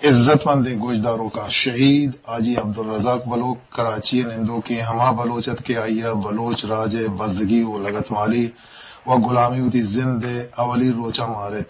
عزت مندیں گوشداروکاں، شہید حاجی عبدالرزاق بلوچ کراچی ءِ نندوکیں ہما بلوچ ات کہ آئی ءَ بلوچ راج ءِ بزگی و لگتمالی و گلامی وتی زند ءِ اولی روچاں مارت۔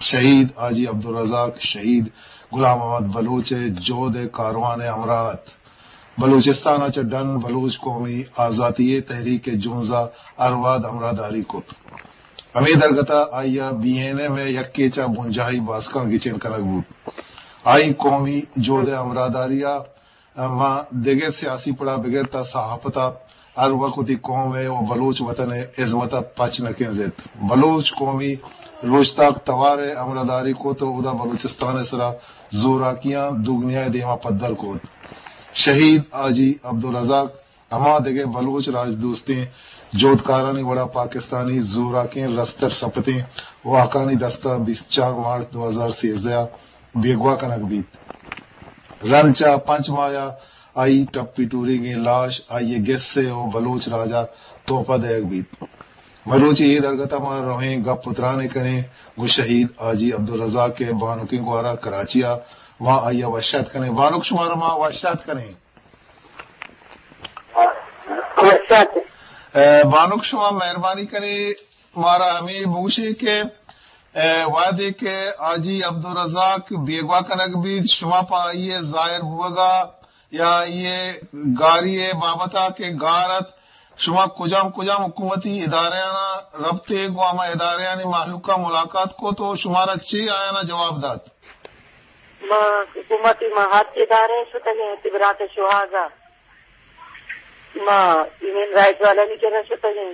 شہید حاجی عبدالرزاق شہید غلام محمد بلوچ ءِ جہد ءِ کاروان ءِ ہمراہ ات۔ بلوچستان ءَ چہ ڈن بلوچ قومی آزاتی ءِ تحریک ءِ جنز ءَ ہر وہد ہمراہداری کت۔ ہمے درگت ءَ آئی ءَ بی این ایم ءِ یکے چہ بنجاہی باسکاں گچین کنگ بوت۔ آئی قومی جہد ءِ ہمراہداری ءَ ماں دگہ سیاسی پڑا بگر تا صحافت ءَ ہر وقت وتی قوم ءِ و بلوچ وطن ءِ ہزمت ءَ پچ نہ کنزت۔ بلوچ قومی روچتاک توار ءِ ہمراہداری کت و اودا بلوچستان ءِ سرا زوراکیاں دگنیا ءِ دیما پدر کت۔ شہید حاجی عبدالرزاق ہما دگہ بلوچ راجدوستیں جہدکارانی وڑا پاکستانی زوراکیں رستر سپتیں واکانی دستا بیست چار مارچ دو ہزار سیزدہ ءَ بیگواہ کنگ بیت۔ رند چہ پنچ ماہ ءَ آئی ٹپی ٹوریگیں لاش آئی ءِ گس ءَ و بلوچ راج ءَ تحفہ دئیگ بیت۔ مروچی اے درگت ءَ ما رویں گپ و ترانے کنیں گوں شہید حاجی عبدالرزاق ءِ بانکیں گوارا کراچی ءَ۔ ما آئی ءَ وش آتک کنیں۔ بانک، شمارا ما وش آتک کنیں۔ وش آتک۔ اے، بانک، شما مہربانی کنیں، مارا ہمے بگوشے کہ، اے، وہدے کہ حاجی عبدالرزاق بیگواہ کنگ بیت، شما پہ آئی ءِ ظاہر بوگا یا آئی ءِ گاری ءِ بابت ءَ کہ گار ات، شما کجام کجام حکومتی ادارہاں رپتے، گوں ہما ادارہانی مہلوکاں ملاقات کت و شمارا چے آیانا جواب دات؟ ما حکومتی، ما ہر ادارہ شتگیں، وتی برات شوہازا۔ ما ہیومن رائٹ والانی کرا شتگیں،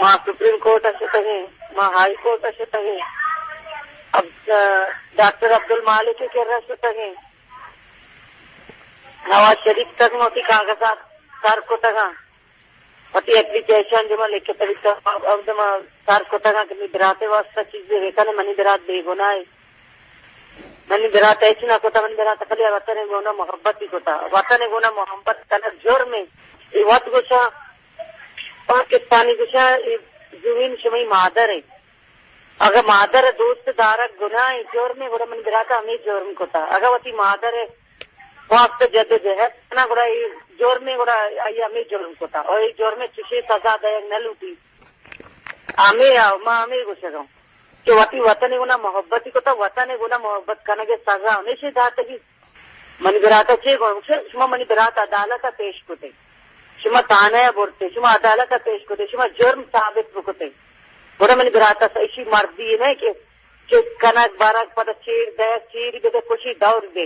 ما سپریم کورٹ ءَ شتگیں، ما ہائی کورٹ ءَ شتگیں، اب-، ڈاکٹر عبدالمالک ءِ کرا شتگیں، نواز شریف تک ما وتی کاغذات سر کتگاں، وتی اپلیکیشن جو ما لکھتگ ات، اب ما سر کتگاں کہ منی برات ءِ واسطہ چیزے بکنے، منی برات بے گناہ ءَ۔ منی برات ءَ ہچ نہ کتا، منی برات ءَ خالی وطن ءِ گونا محبت ہی کتا۔ وطن ءِ گونا محبت کنگ جرم ہے۔ اے وت گوشاں، پاکستانی گوشاں، اے زمین شمئی مادر ہے۔ اگہ مادر ءِ دوست دارگ گناہ ہے، جرم ہے، گڑا منی برات ءَ ہمے جرم کتا۔ اگہ وتی مادر ءِ واسطہ جد و جہد کنا، گڑا اے جرم ہے، گڑا آئی ہمے جرم کتا۔ اور اے جرم ءِ چشیں سزا دئیگ نہ لوٹی۔ ہمے آ، ما ہمے گوشگاں کہ وتی وطن ءِ گونا محبت کتا، وطن ءِ گونا محبت کنگ ءِ سزا ہمیشی داتگی۔ منی برات ءَ چے گوشت؟ شما منی برات ءَ عدالت ءَ پیش کتے، شما تھانہ ءَ برتے، شما عدالت ءَ پیش کتے، شما جرم ثابت بکتے، گڑا منی برات ءَ ایشی مردی نہ کہ، کہ کنگ برگ پدا چیر دئیگ، چیری بدے، کشی دور دے۔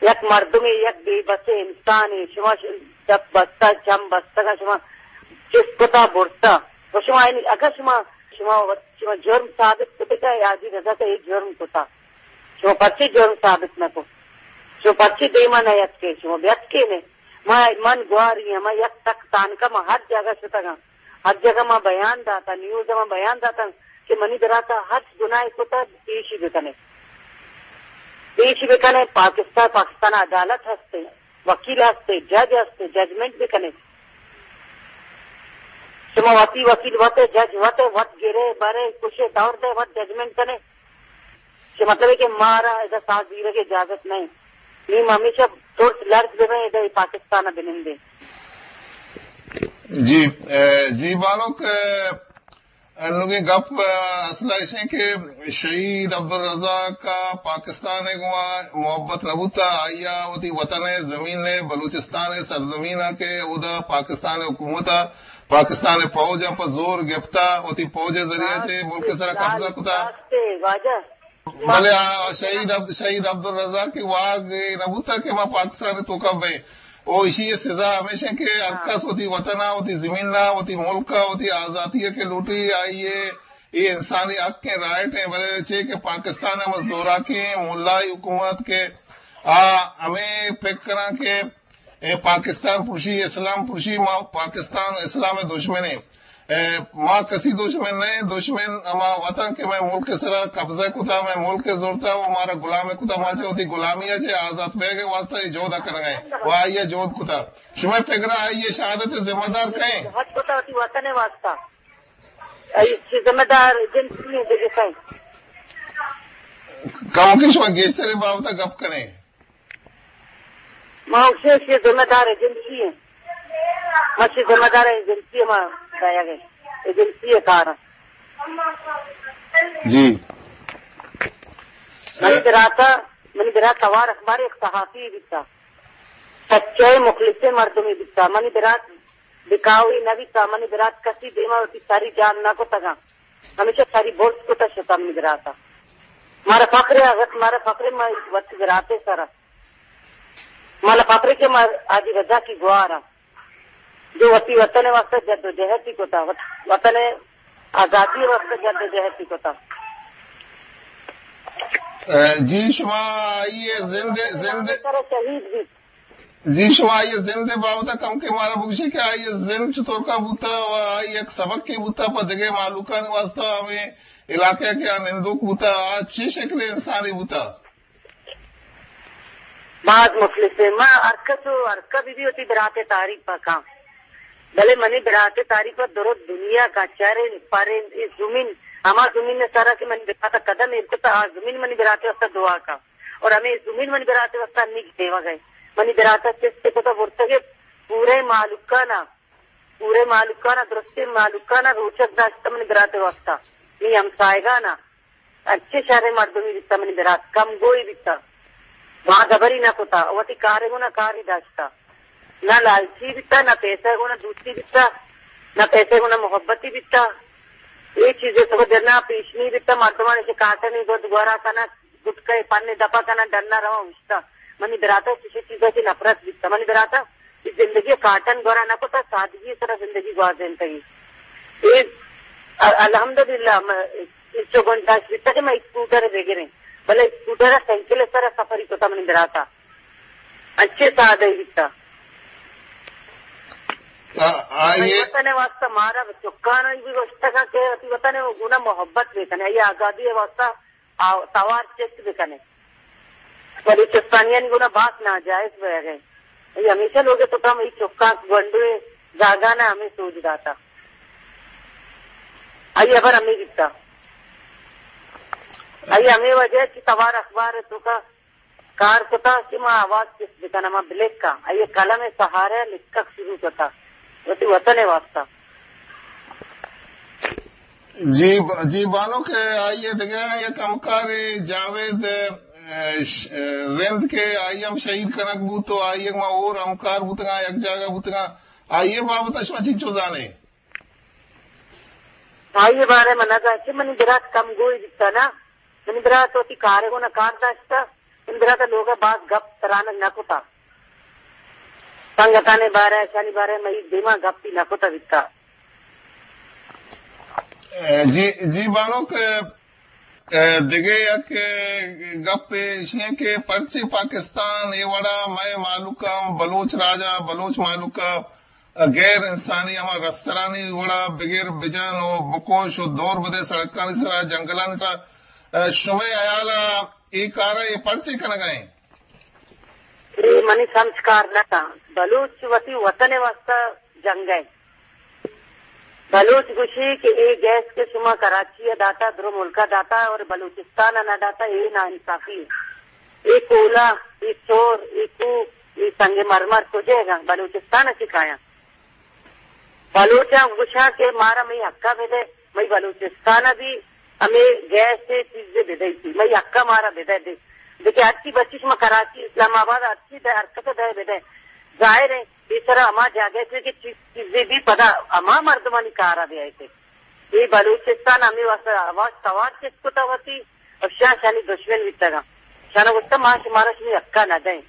یک مردمے، یک بے بسیں انسانے، شما ش-، دپ بستہ، چم بستگا، شما چست کتا برتا۔ و شما اینی، اگر شما، شما وت-، شما جرم ثابت کتگا، حاجی رضا ءَ اے جرم کتا۔ شما پرچے جرم ثابت نہ کو؟ شما پرچے دیما نہ یتکے؟ شما بیتکے نے؟ ما، من گواری ہم، ما یک تک تانکا ما ہر جگہ شتگاں۔ ہر جگہ ما بیان داتا، نیوز ما بیان داتا کہ منی براتا ہرچ گناہ کتا، پیشی بکنے۔ پیشی بکنے، پاکستان، پاکستان عدالت ہستے، وکیل ہستے، جج ہستے، ججمنٹ بکنے۔ شما وتی وکیل وت، جج وت، وت گرے، برے، کشے، دور دے، وت ججمنٹ کنے۔ کہ مطلب ہے کہ مارا ادا ساز دیرگ اجازت نہیں۔ نی ما ہمیشہ ترس لرز ببیں، ادا پاکستان بنندے۔ جی، اے، جی بانک، اے، انوگیں گپ، اے، اصل ایش ہیں کہ شہید عبدالرزاق کا پاکستان گوا محبت نہ بوتا، آیا وتی وطن زمین نے، بلوچستان سرزمین کے، ادا پاکستان حکومت، پاکستان فوج پہ زور گپتا، وتی فوج ذریعہ سے ملک سرا قبضہ کتا۔ بلے آ شہید عبد-، شہید عبدالرزاق کہ واگ اے نہ بوتا کہ ما پاکستان توکا بئیں۔ او ایشی سزا ہمیش ایں کہ ہر کس وتی وطن ءَ، وتی زمین ءَ، وتی ملک ءَ، وتی آزاتی ءَ کہ لوٹی، آئی ءِ اے انسانی حق ایں، رائٹ ایں، بلے چے کہ پاکستان ءِ ہم زوراکیں ملائی حکومت کہ آ ہمے پک کناں کہ اے پاکستان پروشی، اسلام پروشی، ما پاکستان اسلام ءِ دشمن ایں۔ اے، ما کسی دشمن نہ ایں، دشمن ہما وطن کہ مئے ملک ءِ سرا قبضہ کتا، مئے ملک ءَ زرتا و مارا غلام کتا، ما چہ وتی غلامی ءَ چہ آزات بیگ ءِ واسطہ اے جہد ءَ کنگ ءَ ایں و آئی ءَ جہد کتا۔ شمئے پگر ءَ آئی ءِ شہادت ءِ ذمہ دار کئے ایں؟ جہد کتا وتی وطن ءِ واسطہ۔ آئی ءِ ذمہ دار ایجنسی ایں، دگہ کئے ایں؟ کمکے شما گیشتر اے بابت ءَ گپ کن ئے؟ ما گوشیں کہ ذمہ دار ایجنسی ایں۔ ما چہ ذمہ دار ایجنسی ما دایگ ایں۔ ایجنسی ءِ کار ایں۔ جی۔ منی برات ءَ، منی برات توار اخبار ءِ یک صحافی بیتا۔ سچیں مخلصیں مردمے بیتا۔ منی برات بکاوی نہ بیتا۔ منی برات کسی دیما وتی سری جان نہ کتگاں۔ ہمیشہ سری برز کتا شتا منی برات ءَ۔ مارا فخر ایں، اگت مارا فخر ایں، ما وتی برات ءِ سرا۔ مارا فخر ایں کہ ما حاجی رضا کی گوار ایں۔ جو وتی وطن ءِ واسطہ جد و جہد بھی کتا، وط-، وطن ءِ آزادی ءِ واسطہ جد و جہد بھی کتا۔ اے، جی، شما آئی ءِ زند، زند سر شہید بھی۔ جی، شما آئی ءِ زند ءِ بابت ءَ کمکے مارا بگوشے کہ آئی ءِ زند چطور کا بوتا و آئی یک سبقے بوتا پہ دگہ مہلوکانی واسطہ، ہمے علاقہ کہ آ نندوک بوتا، آ چے شکل ءِ انسانے بوتا؟ باز مخلص ایں۔ ما ہر کس و ہر کس بی بی وتی برات ءِ تعریف ءَ کاں۔ بلے منی برات ءِ تعریف ءَ درو دنیا کاں، چرے پرے اے زمین، ہما زمین ءِ سرا کہ منی برات ءَ قدم ایر کتا، آ زمین منی برات ءِ واسطہ دعا کاں۔ اور ہمے زمین منی برات ءِ واسطہ انیگ دیوگ ءَ۔ منی برات ءَ چست کتا برتگ ءَ پورے مالوکانا، پورے مالوکانا، درستیں مالوکانا روچگ داشتہ منی برات ءِ واسطہ۔ نی ہمسایگانا انچیں شریں مردمے بیتا منی برات، کم گوئی بیتا، باز ہبری نہ کتا، وتی کارے گونا کاری داشتا، نہ لالچی بیتا، نہ پیسہ گونا دوستی بیتا، نہ پیسہ گونا محبتی بیتا۔ اے چیزے تو جنا پیش نی بیتا، مردمانی چہ کاٹنی گد گورا کنا، گٹکے پنے دپا کنا، ڈنا رواں اوشتا۔ منی براتا چشی چیزا چہ نفرت بیتا۔ منی براتا اے زندگی کاٹن گورا نہ کتا، سادگی سرا زندگی گوازینتگی۔ اے ال-، الحمدللہ، م-، انچو گنجائش بیتا کہ ما اسکوٹر بگریں، بلے اسکوٹر سائیکل سرا سفری کتا منی براتا۔ انچے سادہ بیتا۔ آ، آ، منی اے وطن واسطہ مارا چکانا بھی گوشتگا کہ وتی وطن گونا محبت بکنے، اے آزادی واسطہ آ، توار چست بکنے۔ بلوچستانیانی گونا باز ناجائز بئیگ ء۔ ای ہمیشہ لوگ ء توکا ہمے چکاں گونڈوے زاگان ء ہمے سوج داتا۔ آئی ہبر ہمے بیتا۔ آئی ہمے وجہ چہ توار اخبار ء توکا کار کتا کہ ما آواز چست بکناں، ما بلکاں۔ آئی قلم ء سہارہ ء لکھگ شروع کتا وتی وطن ء واسطہ۔ جی ب-، جی بانک، آئی ء دگہ یک ہمکارے جاوید، ء، ش-، ء، رند کہ آئی ہم شہید کنگ بوت و آئی ء ما اور ہمکار بوتگاں، یک جاگہ بوتگاں، آئی ء بابت ء شما چنچو زانے؟ آئی ء بارہ من نہ زانت کہ منی برات کم گوئی بیتا نا، منی برات وتی کارے گونا کار داشتا، منی برات لوگ ء باز گپ ترانگ نہ کتا، سنگتانی بارہ ء، اشانی بارہ ء مئی دیما گپی نہ کتا بیتا۔ جی، جی بانک، ء، دگہ یک، ء، گپے ایشی انت کہ پرچے پاکستان اے وڑا مئے مہلوکاں، بلوچ راجا، بلوچ مہلوکا غیر انسانی ہما رسترانی وڑا بگر بجن و بکش و دور بدے سڑکانی سرا، جنگلانی سرا، ء، شمئے ہیالا اے کارا اے پرچے کنگا انت؟ اے منی سمجھ کار نہ کن۔ بلوچ وتی وطن ء واسطہ جنگ ء۔ بلوچ گوشی کہ اے گیس کہ شما کراچی ء داتا، درو ملک ء داتا اور بلوچستان ء نہ داتا، اے ناانصافی۔ اے کولا، اے چور، اے کوہ، اے سنگ مرمر کجے گا؟ بلوچستان ء چی کایاں؟ بلوچاں گوشاں کہ مارا مئی حقا بدے، مئی بلوچستان ء بھی ہمے گیس ء چیز بدے، مئی حقا مارا بدے دے۔ دیکھے ہرچی بچی شما کراچی، اسلام آباد، ہرچی دے، ہر کس دے بدے۔ ظاہر ہے، اے سرا ہما جاگہ تے کہ چیز، چیزے بھی پدا ہما مردمانی کارا بیائے تے۔ اے بلوچستان ہمے واسطہ آواز توار چست کتا وتی، اور شاہ شانی دشمن بیتگا۔ شانا گوشتا ما شمارا شمی حقا نہ دیں۔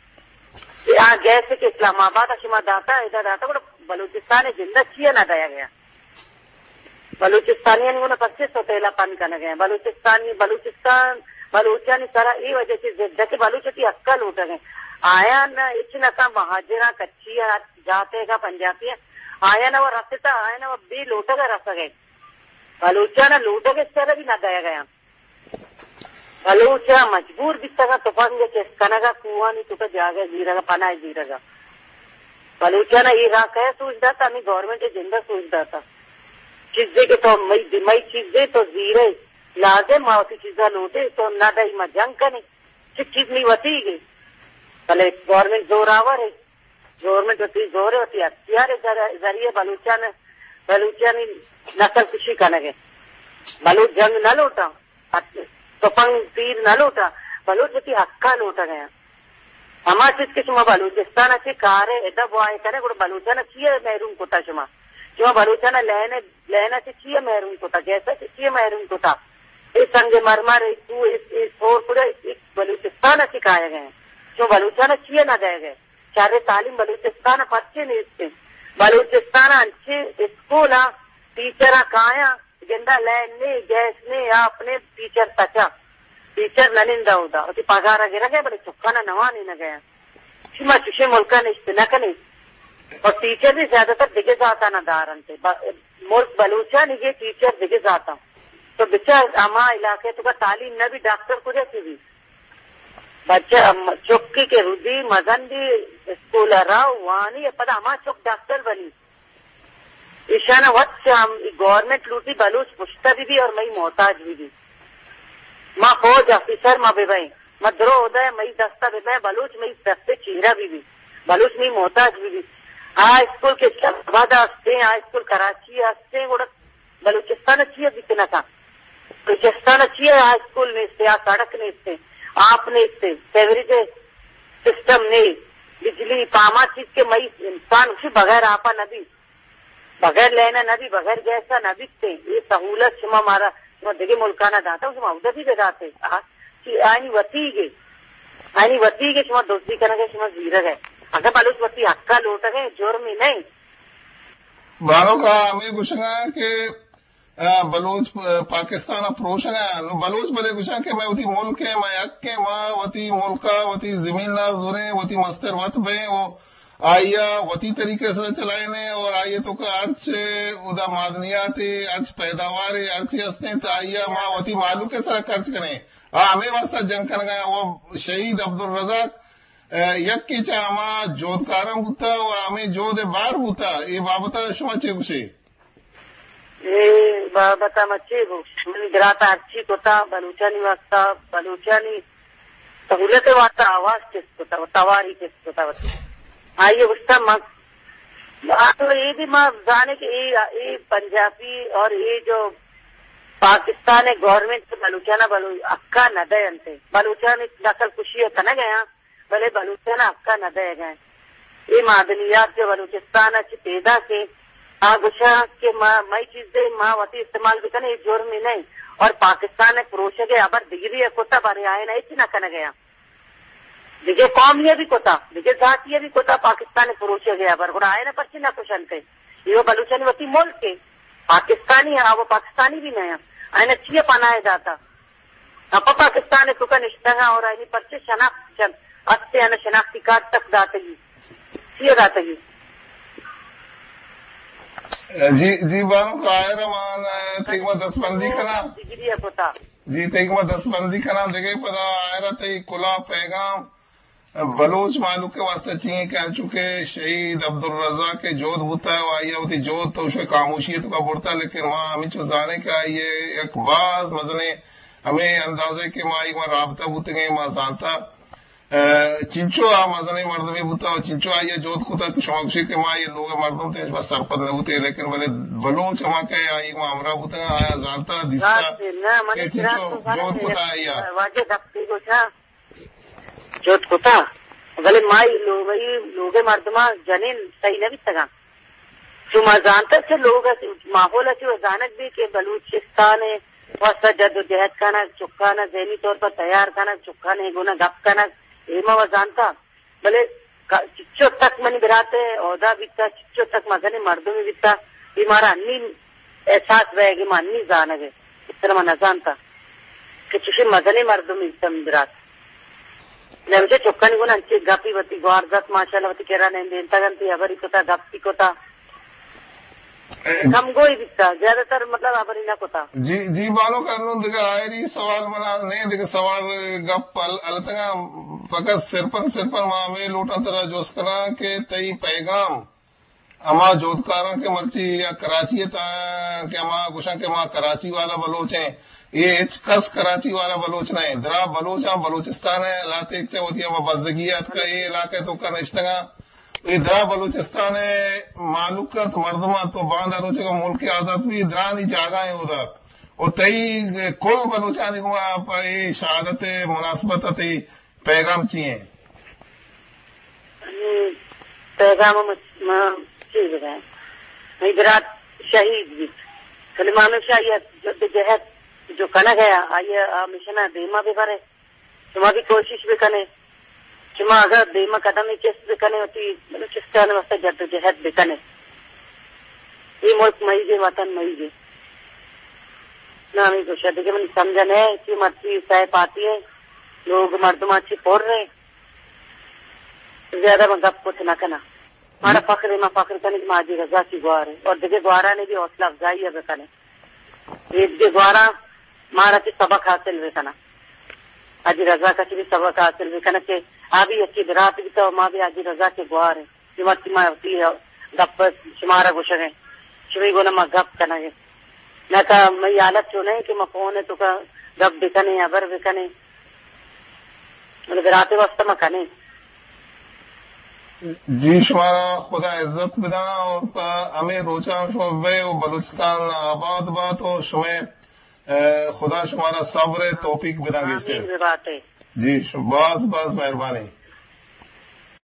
اے آ گیس کہ اسلام آباد شما داتا، ادا داتا، گڑا بلوچستان جندہ چیا نہ دیا گیا؟ بلوچستانیانی گونا پچے سوتیلا پن کنگ ء۔ بلوچستانی، بلوچستان، بلوچانی سرا اے وجہ چہ ضد ء کہ بلوچ وتی حق ء لوٹگ ء۔ آیاں ہچ نہ کن، مہاجراں، کچی ء، ہر جاتے گا پنجابی ء۔ آیاں و رستا، آیاں و بے لوٹگ ء رسگ ء۔ بلوچاں لوٹگ ء سر بھی نہ دئیگ ء۔ بلوچ ء مجبور بیتگ ء تپنگ ء چست کنگ ء، کوہانی توک ء جاگہ زیرگ ء، پناہ زیرگ ء۔ بلوچاں اے راہ کئے سوج دات؟ ہمے گورنمنٹ ء جند ء سوج دات۔ چیزے کہ تو مئی، مئی چیزے تو زیرے، لازم ما وتی چیزا لوٹے، تو نہ دئی ما جنگ کنے۔ چی چیز نی وتی گے۔ بلے گورنمنٹ زور آور ہے۔ گورنمنٹ وتی زور ہے، وتی اختیار ہے ذر-، ذریعے بلوچان، بلوچانی نسل کشی کنگے۔ بلوچ جنگ نہ لوٹا، تپنگ تیر نہ لوٹا، بلوچ وتی حقا لوٹگے۔ ہما چیز کہ شما بلوچستان ء چہ کار ء ادا بوائے کنے، گڑا بلوچان ء چی ء محروم کتا شما؟ شما بلوچان ء لین ء، لین ء چہ چی ء محروم کتا؟ گیس ء چہ چی ء محروم کتا؟ اے سنگ مرمر، اے کوہ، اے، اے سور کڑے، اے بلوچستان ء چہ کایگ ء؟ شما بلوچان ء چی ء نہ دئیگ ء؟ شر تعلیم بلوچستان ء پرچے نیست انت؟ بلوچستان ء انچیں اسکول ء ٹیچر ء کایاں، گندا لین نے، گیس نے، آپ نے، ٹیچر تچا۔ ٹیچر نہ نندا اودا، وتی پگار ء گرگ ء، بلے چکان ء نوانینگ ء۔ چی ما چشیں ملک ء نشت نہ کنیں؟ اور ٹیچر بھی زیادہ تر دگہ ذاتان ء دار انت۔ ب-، ملک بلوچانی گے ٹیچر دگہ ذاتاں۔ تو بچار ہما علاقے تو کا تعلیم نہ بھی، ڈاکٹر کجا چی بھی؟ بچہ ام-، چکی کے رودی مزن بھی اسکول ء را وانی، پدا ہما چک ڈاکٹر بنی۔ ایشان ء وت چہ ہم گورنمنٹ لوٹی بلوچ پشتہ بہ بی اور مئی محتاج بہ بی۔ ما فوج آفیسر ما بہ بئیں، ما درو ہدائے مئی دستا بہ بئیں، بلوچ مئی دستے چیرا بہ بی، بلوچ مئی محتاج بہ بی۔ آ اسکول کہ اسلام آباد ء ہستیں، آ اسکول کراچی ء ہستیں، گڑا بلوچستان ء چی ء بیت نہ کن؟ بلوچستان ء چی ء آ اسکول نیست، آ سڑک نیست، آپ نیست، سیوریج سسٹم نے، بجلی پاما چیز کہ مئی انسان اسی بغیر آپا نہ بیت۔ بغیر لین ء نہ بی، بغیر گیس ء نہ بیت۔ اے سہولت شما مارا، شما دگہ ملکانا داتا، شما اودا بھی بداتے۔ آ، چی آئینی وتیگے، آئینی وتیگے شما دزی کنگے، شما زیرگے۔ اگر بلوچ وتی حقا لوٹگے، جرمی نہیں۔ بانک ء ہمے گوشگا کہ، آ، بلوچ پ-، پاکستان ء پروشگا۔ نو بلوچ بلے گوشاں کہ مئے وتی ملک ء، مئے حق ء، ما وتی ملک ء، وتی زمین ء زوریں، وتی مستر وت بئیں و آئی ء وتی طریقے سرا چلائینے اور آئی ء توکا ہرچ اودا معدنیات ء، ہرچ پیداوار ء، ہرچی ہستیں تو آئی ء ما وتی مہلوک ء سرا خرچ کنیں۔ آ ہمے واسطہ جنگ کنگا و شہید عبدالرزاق، ا، یکے چہ ہما جہدکاراں بوتا و ہمے جہد ء بار بوتا۔ اے بابت ء شما چے گوشے؟ اے بابت ء ما چے گوش؟ منی برات ء ہرچی کتا بلوچانی واسطہ، بلوچانی سہولت ء واسطہ آواز چست کتا و تواری چست کتا وتی۔ آئی ء گوشتا ما، آ تو اے بھی ما زانے کہ اے، اے پنجابی اور اے جو پاکستان ء گورنمنٹ بلوچانا بلو-، حقا نہ دے انتے۔ بلوچان نسل کشی ء کنگ ء آں، بلے بلوچان حقا نہ دے گئے۔ اے معدنیات جو بلوچستان ء چہ پیدا کے آ گوشاں کہ ما، مئی چیزے ما وتی استعمال بکنیں، اے جرم ہی نہیں۔ اور پاکستان ء پروشگ ء ہبر دگری ء کتا، بارے آئین ء ہچ نہ کنگ ء آں۔ دگہ قومی ء بھی کتا، دگہ ذاتی ء بھی کتا، پاکستان ء پروشگ ء ہبر، گڑا آئین ء پرچی نہ کشنتے؟ یہ بلوچانی وتی ملک ہے، پاکستانی ہے، وہ پاکستانی بھی نہیں ہے۔ آئین ء چی ء پناہ داتا؟ پہ پاکستان ء توکا نشتگاں اور آئینی پرچے شناخت چن است، آنا شناختی کارڈ تک داتگی، چی داتگی؟ جی، جی بانک آئر مان، تیگ ما دستبندی کنا۔ ڈگری ء کتا۔ جی، تیگ ما دستبندی کنا، دگہ پدا آئر تئی کلا پیغام بلوچ مہلوک ء واسطہ چی ایں کہ انچو کہ شہید عبدالرزاق ء جہد بوتا و آئی ء وتی جہد تو شے خاموشی ء توکا برتا، لیکن ما ہمینچو زانیں کہ آئی ء یک باز مزنیں ہمے اندازے کہ ما آئی ء رابطہ بوتگیں، ما زانتا، ء، چنچو آ مزنیں مردمے بوتا و چنچو آئی ء جہد کتا کہ شما گوشے کہ ما آئی ء لوگ ء مردم تے بس سرپد نہ بوتے، لیکن بلے بلوچ ہما کہ آئی ء ما ہمراہ بوتگاں، آیا زانتا، دیستا راست ہے، نہ، منی کہ چنچو خیال تو زانگ جہد ہے، کتا آئی ء۔ واجہ دفتی گوشا جہد کتا، بلے ما اے لوگ، اے لوگ ء مردماں جنین صحیح نہ بیتگاں۔ چو ما زانتگ چہ لوگ ء ماحول ء چو زانگ بی کہ بلوچستان ء واسطہ جد و جہد کنگ، چکان ء ذہنی طور پر تیار کنگ، چکان ء گون ء گپ کنگ، اے ما و زانتا۔ بلے ک-، چچو تک منی برات ء عہدہ بیتا، چچو تک مزنیں مردمے بیتا، اے مارا انی احساس بئیگ ء، ما انی زانگ ء، اس طرح ما نزانتا کہ چوشیں مزنیں مردمے بیتا منی برات۔ نمچے چکانی گون انچیں گپی وتی گوار زت، ماشاءاللہ وتی کرا نندینتگ انت، ہبری کتا، گپی کتا۔ کمگوئی بیتا، زیادہ تر مطلب ہبری نہ کتا۔ جی، جی بانک، انوں دگہ آئری سوال منا نہیں، دگہ سوال گپ ال-، التگا فقط صرفاً، صرفاً ما ہمیں لوٹاں ترا جوست کناں کہ تئی پیغام ہما جہدکاراں کہ مرچی یا کراچی ء تہا کہ ہما گوشاں کہ ما کراچی والا بلوچ ہیں، اے ہچ کس کراچی والا بلوچ نہ ایں۔ درا بلوچاں بلوچستان ءِ لہتیگ چہ وتی ہما بزگی ءَ اتکا اے علاقہ ءِ توکا نشتگاں۔ اے درا بلوچستان ءِ مہلوک انت، مردم انت، و باندا روچے کہ ملک آزاد بی، درانی جاگہ ایں اودا۔ و تئی کل بلوچانی گوما پہ اے شہادت ءِ مناسبت ءَ تئی پیغام چی ایں؟ ہم، پیغام ما، ما چی بگویں؟ مئی برات شہید بیت۔ سلیمان شاہ یہ جد جہد جو کنگ ءَ، آئی ءَ آ مشن ءَ دیما ببرے۔ شما بھی کوشش بکنے۔ شما اگر دیما قدم چست بکنے، وتی بلوچستان واسطہ جد و جہد بکنے۔ یہ ملک مئی گے، وطن مئی گے۔ نہ، ہمیں گوشہ دیگہ منی سمجھا نہ ہے کہ مرچی سہ پاتی ہیں، لوگ مردم اچھی پور رہے۔ زیادہ من گپ کت نہ کنا۔ مارا فخر ہے، ما فخر کنے کہ ما حاجی رضا کی گوار ہے۔ اور دیگہ گوارا نے بھی حوصلہ افزائی ہے بکنے۔ یہ دیگہ گوارا مارا چی سبق حاصل بکنا۔ حاجی رضا کا چی بھی سبق حاصل بکنا کہ آ بھی یکی برات بیتا و ما بھی حاجی رضا کے گوار ہیں۔ کہ مرچی ما وتی گپ شمارا گوشگ ءَ، شمئی گونا ما گپ کنگ ءَ۔ نہ تا مئی حالت چو نہ کہ ما فون ءِ توکا گپ بکنیں، ہبر بکنیں۔ بلے براتے واسطہ ما کنیں۔ جی، شمارا خدا عزت بداں اور پہ ہمیں روچاں شما بے و بلوچستان آباد بات و شمے، اے، خدا شمارا صبر ءِ توفیق بداں گیشتر۔ آمین بباتے۔ جی، ش-، باز باز مہربانی۔